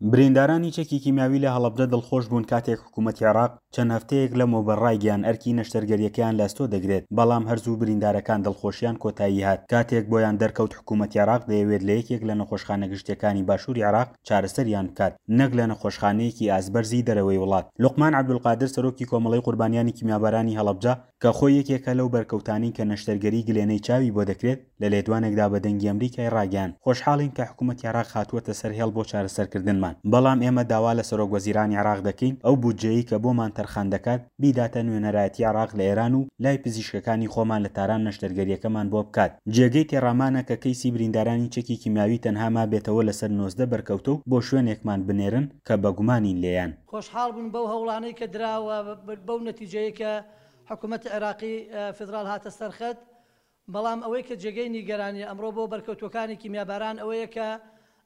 بریندارانی چەکی کیمیاوی لە هەڵەبجە دڵخۆش بوون کاتێک حکوومەتی عێراق چەند هەفتەیەک لەمەوبەر ڕایگەیاند ئەرکی نەشتەرگەرییەکەیان لە ئەستۆ دەگرێت، بەڵام هەر زوو بریندارەکان دڵخۆشیان کۆتایی هات کاتێک بۆیان دەرکەوت حکوومەتی عێراق دەیەوێت لە یەکێک لە نەخۆشخانە گشتییەکانی باشووری عێراق چارەسەریان بکات نەک لە نەخۆشخانەیەکی ئاستبەرزی دەرەوەی وڵات. لوقمان عەبدولقادر سەرۆکی کۆمەڵەی قوربانیانی کیمیابارانی هەڵەبجە کە خۆی یەکێکە لەو بەرکەوتانەی کە نەشتەرگەری گلێنەی چاوی بۆ دەکرێت، لە لێدوانێکدا بە دەنگی ئەمریکای ڕاگەیاند، خۆشحاڵین کە حکومەتی عێراق هاتووەتە سەر هێڵ بۆ چارەسەرکردنمان، بەڵام ئێمە داوا لە سەرۆک وەزیرانی عێراق دەکەین ئەو بودجەیەی کە بۆمان تەرخان دەکات بیداتە نوێنەرایەتی عێراق لە ئێران و لای پزیشکەکانی خۆمان لە تاران نەشتەرگەرییەکەمان بۆ بکات. جێگەی تێڕامانە کە کەیسی بریندارانی چەکی کیمیاوی تەنها مابێتەوە لەسەر 19 بەرکەوتە و بۆ شوێنێکمان بنێرن کە بەگومانین لێیان. خۆشحاڵ بوون بەو هەوڵانەی کە دراوە بەو نەتیجەیەی کە حکومەتی عێراقی فیدراڵ هاتە سەر خەت، بەڵام ئەوەی کە جێگەی نیگەرانییە ئەمڕۆ بۆ بەرکەوتووەکانی کیمیاباران ئەوەیە کە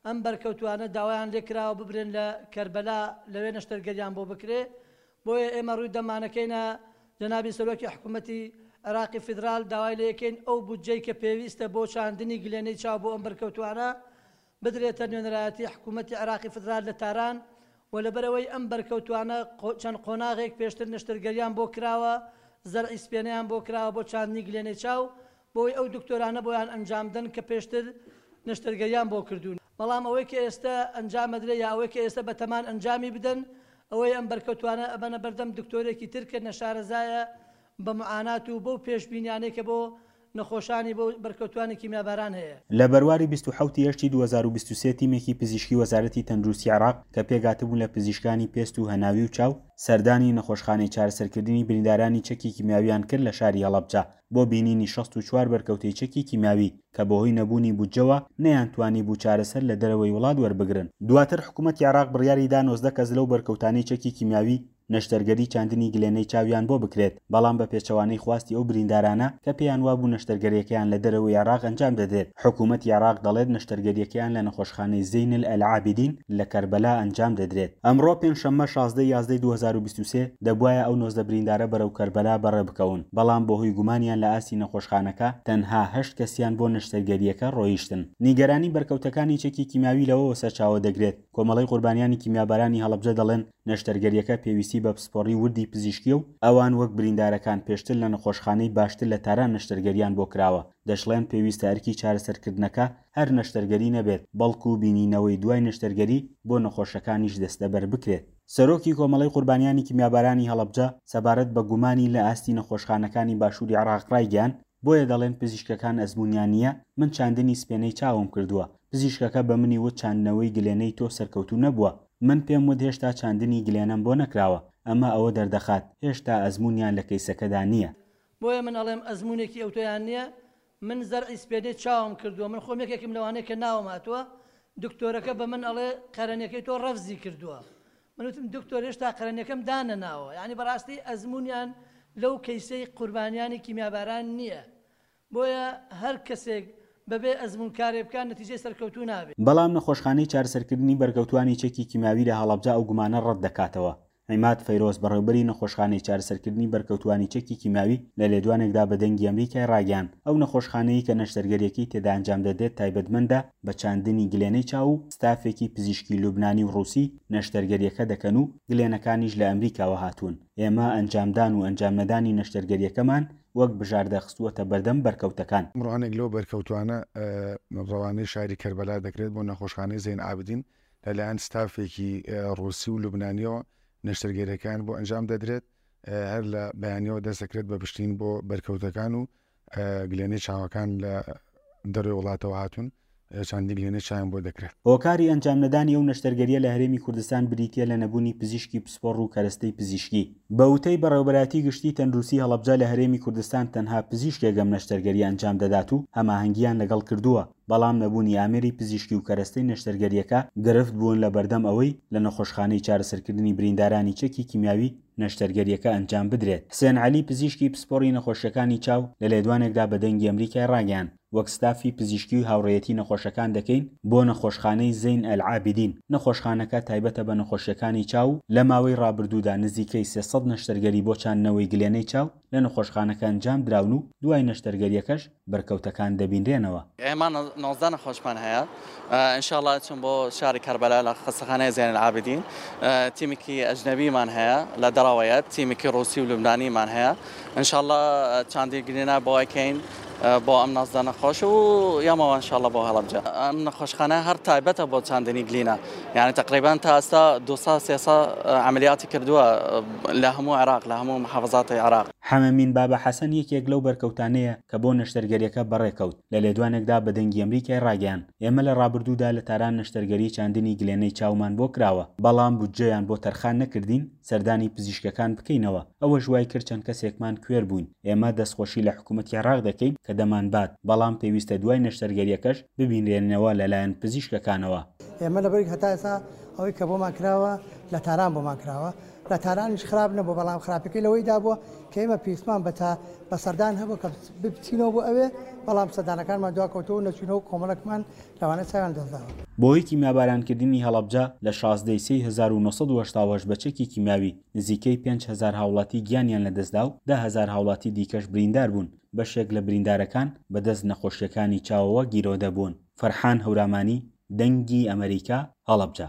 ئەم بەرکەوتووانە داوایان لێکراوە ببرێن لە کەربەلا لەوێ نەشتەرگەریان بۆ بکرێ، بۆیە ئێمە ڕووی دەمانەکەینە جەنابی سەرۆکی حکومەتی عێراقی فیدرال داوای لێکەین ئەو بودجەی کە پێویستە بۆ چاندنی گلێنەی چاو بۆ ئەم بەرکەوتووانە بدرێتە نوێنەرایەتی حکوومەتی عێراقی فیدرال لە تاران و لەبەرئەوەی ئەم بەرکەوتووانە چەند قۆناغێک پێشتر نەشتەرگەریان بۆ کراوە، زەرعی سپێنەیان بۆ کراوە بۆ چاندنی گلێنەی چاو، بۆی ئەو دکتۆرانە بۆیان ئەنجامدەن کە پێشتر نەشتەرگەریان بۆ کردوون. بەڵام ئەوەی کە ئێستە ئەنجامەدرێ یا ئەوەی کە ئێستە بەتەمان ئەنجامی بدەن ئەوەیە ئەم بەرکەوتووانە ئەبەنە بەردەم دکتۆرێکی تر کە نەشارەزایە بە معانات و بەو پێشبینیانەی کە بۆ نەخۆشانی بۆ بەرکەوتوانی کیمیاباران هەیە. لە بەرواری 27 ی هەشتی 2023 تیمێکی پزیشکی وەزارەتی تەندروستی عێراق کە پێکهاتبوون لە پزیشکانی پێست و هەناوی و چاو سەردانی نەخۆشخانەی چارەسەرکردنی بریندارانی چەکی کیمیاویان کرد لە شاری هەڵەبجە بۆ بینینی 64 بەرکەوتەی چەکی کیمیاوی کە بەهۆی نەبوونی بودجەوە نەیانتوانیبوو چارەسەر لە دەرەوەی وڵات وەربگرن. دواتر حکومەتی عێراق بڕیاری دا 19 کەس لەو بەرکەوتانەی چەکی کیمیاوی نەشتەرگەری چاندنی گلێنەی چاویان بۆ بکرێت، بەڵام بە پێچەوانەی خواستی ئەو بریندارانە کە پێیان وابوو نەشتەرگەریەکەیان لە دەرەوەی عێراق ئەنجام دەدرێت، حکوومەتی عێراق دەڵێت نەشتەرگەریەکەیان لە نەخۆشخانەی زەینل ئەلعابیدین لە کەربەلا ئەنجام دەدرێت. ئەمڕۆ پێنجشەممە 16 ی یازدەی 2023 دەبوایە ئەو 19 بریندارە بەرەو کەربەلا بەڕێبکەون، بەڵام بەهۆی گومانیان لە ئاستی نەخۆشخانەکە تەنها هەشت کەسیان بۆ نەشتەرگەریەکە ڕۆیشتن. نیگەرانی بەرکەوتەکانی چەکی کیمیاوی لەوەوە سەرچاوە دەگرێت، کۆمەڵەی قوربانیانی کیمیابارانی هەڵەبجە دەڵێن، نەشتەرگەرییەکە پێویستی بە پسپۆڕی وردی پزیشکییە و ئەوان وەک بریندارەکان پێشتر لە نەخۆشخانەی باشتر لە تاران نەشتەرگەرییان بۆ کراوە، دەشڵێن پێویستە ئەرکی چارەسەرکردنەکە هەر نەشتەرگەری نەبێت، بەڵکو بینینەوەی دوای نەشتەرگەری بۆ نەخۆشەکانیش دەستەبەر بکرێت. سەرۆکی کۆمەڵەی قوربانیانی کیمیابارانی هەڵەبجە سەبارەت بە گومانی لە ئاستی نەخۆشخانەکانی باشووری عێراق ڕایگەیاند، بۆیە دەڵێن پزیشکەکان ئەزموونیان نییە، من چاندنی سپێنەی چاوم کردووە، پزیشکەکە بە منی وت چاندنەوەی گلێنەی تۆ سەرکەوتوو نەبووە، من پێم وت هێشتا چاندنی گلێنەم بۆ نەکراوە، ئەمە ئەوە دەردەخات هێشتا ئەزموونیان لە کەیسەکەدا نییە. بۆیە من ئەڵێم ئەزموونێکی ئەوتۆیان نییە، من زەرعی سپێنەی چاوم کردووە، من خۆم یەکێکم لەوانەی کە ناوم هاتووە، دکتۆرەکە بە من ئەڵێ قەرەنیەکەی تۆ ڕەفزی کردووە، من وتم دکتۆر هێشتا قەرەنیەکەم دانەناوە، یانی بەڕاستی ئەزموونیان لەو کەیسەی قوربانیانی کیمیاباران نییە، بۆیە هەر کەسێک بەبێ ئەزموون کارێک بکات نەتیجەی سەرکەوتوو نابێت. بەڵام نەخۆشخانەی چارەسەرکردنی بەرکەوتوانی چەکی کیمیاوی لە هەڵەبجە ئەو گومانە ڕەتدەکاتەوە. عیماد فەیرۆز بەڕێوبەری نەخۆشخانەی چارەسەرکردنی بەرکەوتوانی چەکی کیمیاوی لە لێدوانێکدا بە دەنگی ئەمریکای ڕاگەیاند، ئەو نەخۆشخانەیەی کە نەشتەرگەریەکەی تێدا ئەنجامدەدرێت تایبەتمەندە بە چاندنی گلێنەی چاو و ستافێکی پزیشکی لوبنانی و ڕووسی نەشتەرگەریەکە دەکەن و گلێنەکانیش لە ئەمریکاوە هاتوون. ئێمە ئەنجامدان و ئەنجامنەدانی نەشتەرگەریەکەمان وەک بژاردە خستووەتە بەردەم بەرکەوتەکان. ئەمڕۆ هەنێک لەو بەرکەوتوانە ڕەوانەی شاری کەربەلا دەکرێت بۆ نەخۆشخانەی زەین عابدین لەلایەن ستافێکی ڕووسی و لوبنانیەوە نەشتەرگەریەکان بۆ ئەنجام دەدرێت، هەر لە بەیانیەوە دەست دەکرێت بە پشتین بۆ بەرکەوتەکان و گلێنەی چاوەکان لە دەروی وڵاتەوە هاتوون چاندنی گلێنەی چاویان بۆ دەکرێت. هۆکاری ئەنجامنەدانی ئەو نەشتەرگەرییە لە هەرێمی کوردستان بریتییە لە نەبوونی پزیشکی پسپۆڕ و کەرەستەی پزیشکی. بە وتەی بەڕێوەبەرایەتی گشتی تەندروستی هەڵەبجە لە هەرێمی کوردستان تەنها پزیشکێک ئەم نەشتەرگەرییە ئەنجام دەدات و هەماهەنگییان لەگەڵ کردووە، بەڵام نەبوونی ئامێری پزیشکی و کەرەستەی نەشتەرگەرییەکە گرفت بوون لە بەردەم ئەوەی لە نەخۆشخانەی چارەسەرکردنی بریندارانی چەکی کیمیاوی نەشتەرگەرییەکە ئەنجام بدرێت. حسێن عەلی پزیشکی پسپۆڕی نەخۆشییەکانی چاو لە لێدوانێکدا بە دەنگی ئەمریکای ڕاگەیاند، وەک ستافی پزیشکی و هاوڕێیەتی نەخۆشەکان دەکەین بۆ نەخۆشخانەی زەین ئەلعابیدین، نەخۆشخانەکە تایبەتە بە نەخۆشییەکانی چاو و لە ماوەی ڕابردوودا نزیکەی 300 نەشتەرگەری بۆ چاندنەوەی گلێنەی چاو لە نەخۆشخانەکە ئەنجام دراون و دوای نەشتەرگەرییەکەش بەرکەوتەکان دەبینرێنەوە. ئێمە 19 نەخۆشمان هەیە ان شاء اللە ئەچم بۆ شاری کەربەلا لە خەستەخانەی زین العابدین تیمێکی ئەجنەبیمان هەیە لە دەرەوەیە تیمێکی ڕوسی و لوبنانیمان هەیە ان شاء اللە چاندی گرێنا بۆ ئەکەین بۆ ئەم 19 نەخۆش و یامەوە ان شاء اللە بۆ هەڵەبجە ئەم نەخۆشخانە هەر تایبەتە بۆ چاندنی گلینە یعنی تقریبا تا ئێستا 200 300 عملیاتی کردووە لە هەموو عێراق لە هەموو محافظاتی عێراق. حەمەمین بابە حەسەن یەکێک لەو بەرکەوتانەیە کە بۆ نەشتەرگەریەکە بەڕێکەوت، لە لێدوانێکدا بە دەنگی ئەمریکای ڕاگەیاند، ئێمە لە ڕابردوودا لە تاران نەشتەرگەری چاندنی گلێنەی چاومان بۆ کراوە، بەڵام بودجەیان بۆ تەرخان نەکردین سەردانی پزیشکەکان بکەینەوە، ئەوەش وای کرد چەند کەسێکمان کوێر بووین، ئێمە دەستخۆشی لە حکومەتی عێراق دەکەین کە دەمانبات، بەڵام پێویستە دوای نەشتەرگەریەکەش ببینرێنەوە لەلایەن پزیشکەکانەوە. ئێمە لەبەرئەوەی هەتا ئێستا ئەوەی کە بۆمان کراوە لە تاران بۆمان کراوە، لە تارانیش خراپ نەبوو، بەڵام خراپەکەی لەوەیدا بووە کە ئێمە پێویستمان بە تا بە سەردان هەبوو کە بچینەوە بۆ ئەوێ، بەڵام سەردانەکانمان دواکەوتەوە و نەچوینەوە و کۆمەڵێکمان لەوانە چاویان لەدەستداوە. بەهۆی کیمیابارانکردنی هەڵەبجە لە 16 ی سێی 1988 بە چەکی کیمیاوی نزیکەی 5000 هاوڵاتی گیانیان لەدەستدا و 10,000 هاوڵاتی دیکەش بریندار بوون، بەشێک لە بریندارەکان بەدەست نەخۆشییەکانی چاوەوە گیرۆدە بوون. فەرحان هەورامانی، دەنگی ئەمەریکا، هەڵەبجە.